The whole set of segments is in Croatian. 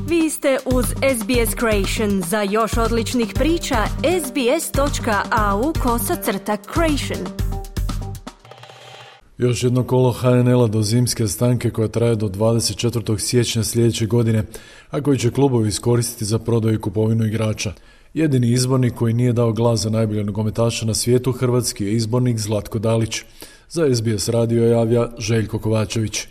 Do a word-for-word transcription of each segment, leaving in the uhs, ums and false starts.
Vi ste uz S B S Creation. Za još odličnih priča, sbs.au kosacrta creation. Još jedno kolo H N L-a do zimske stanke koja traje do dvadeset četvrtog siječnja sljedeće godine, a koji će klubovi iskoristiti za prodaju i kupovinu igrača. Jedini izbornik koji nije dao glas za najbolje nogometaša na svijetu hrvatski je izbornik Zlatko Dalić. Za S B S radio javlja Željko Kovačević.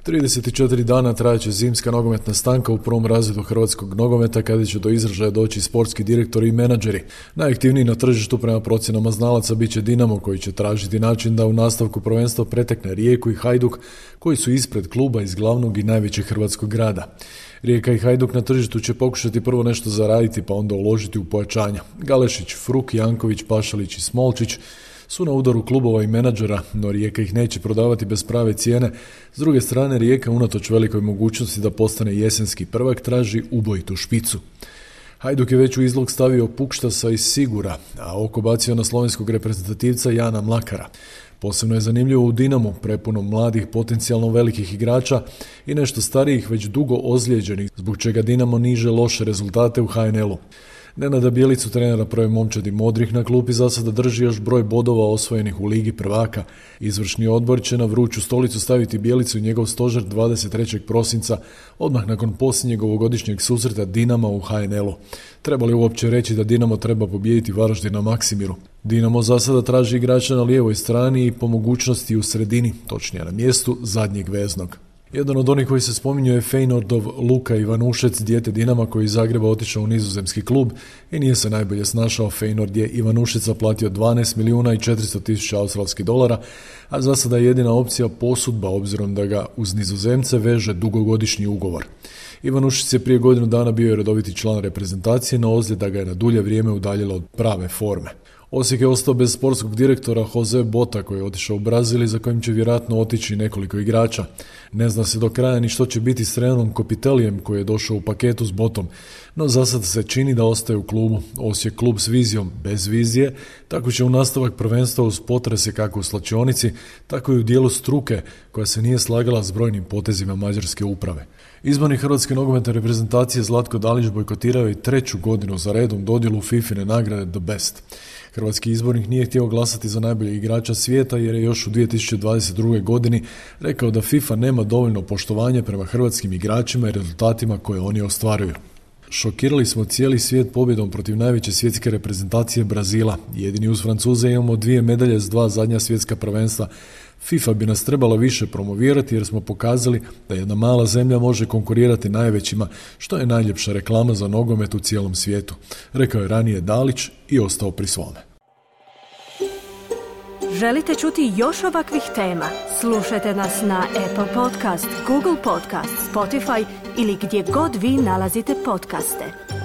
trideset četiri dana trajaće zimska nogometna stanka u prvom razredu hrvatskog nogometa kada će do izražaja doći sportski direktori i menadžeri. Najaktivniji na tržištu prema procjenama znalaca bit će Dinamo koji će tražiti način da u nastavku prvenstva pretekne Rijeku i Hajduk koji su ispred kluba iz glavnog i najvećeg hrvatskog grada. Rijeka i Hajduk na tržištu će pokušati prvo nešto zaraditi pa onda uložiti u pojačanja. Galešić, Fruk, Janković, Pašalić i Smolčić su na udaru klubova i menadžera, no Rijeka ih neće prodavati bez prave cijene. S druge strane, Rijeka unatoč velikoj mogućnosti da postane jesenski prvak traži ubojitu špicu. Hajduk je već u izlog stavio Pukštasa iz Sigura, a oko bacio na slovenskog reprezentativca Jana Mlakara. Posebno je zanimljivo u Dinamu, prepunom mladih potencijalno velikih igrača i nešto starijih već dugo ozlijeđenih, zbog čega Dinamo niže loše rezultate u H N L-u. Nenada Bjelicu, trenera prve momčadi Modrih, na klupi za sada drži još broj bodova osvojenih u Ligi prvaka. Izvršni odbor će na vruću stolicu staviti Bjelicu i njegov stožer dvadeset trećeg prosinca, odmah nakon posljednjeg ovogodišnjeg susreta Dinama u H N L-u. Treba li uopće reći da Dinamo treba pobijediti Varaždin na Maksimiru? Dinamo za sada traži igrača na lijevoj strani i po mogućnosti u sredini, točnije na mjestu zadnjeg veznog. Jedan od onih koji se spominju je Feyenoordov Luka Ivanušec, dijete Dinama koji iz Zagreba otišao u nizozemski klub i nije se najbolje snašao. Feyenoord je Ivanušeca platio dvanaest milijuna i četiristo tisuća australskih dolara, a za sada je jedina opcija posudba obzirom da ga uz Nizozemce veže dugogodišnji ugovor. Ivanušec je prije godinu dana bio redoviti član reprezentacije, no ozljeda ga je na dulje vrijeme udaljila od prave forme. Osijek je ostao bez sportskog direktora Jose Bota koji je otišao u Brazil i za kojim će vjerojatno otići nekoliko igrača. Ne zna se do kraja ni što će biti s trenerom Kopitelijem koji je došao u paketu s Botom, no za sad se čini da ostaje u klubu. Osijek klub s vizijom bez vizije, tako će u nastavak prvenstva uz potrese kako u slačionici, tako i u dijelu struke koja se nije slagala s brojnim potezima mađarske uprave. Izbornik hrvatske nogometne reprezentacije Zlatko Dalić bojkotirao je treću godinu za redom dodjelu Fifine nagrade The Best. Hrvatski izbornik nije htio glasati za najboljeg igrača svijeta jer je još u dvije tisuće dvadeset druge. godini rekao da FIFA nema dovoljno poštovanja prema hrvatskim igračima i rezultatima koje oni ostvaruju. Šokirali smo cijeli svijet pobjedom protiv najveće svjetske reprezentacije Brazila. Jedini uz Francuze imamo dvije medalje s dva zadnja svjetska prvenstva. FIFA bi nas trebala više promovirati jer smo pokazali da jedna mala zemlja može konkurirati najvećima, što je najljepša reklama za nogomet u cijelom svijetu, rekao je ranije Dalić i ostao pri svome. Želite čuti još ovakvih tema? Slušajte nas na Apple Podcast, Google Podcast, Spotify ili gdje god vi nalazite podcaste.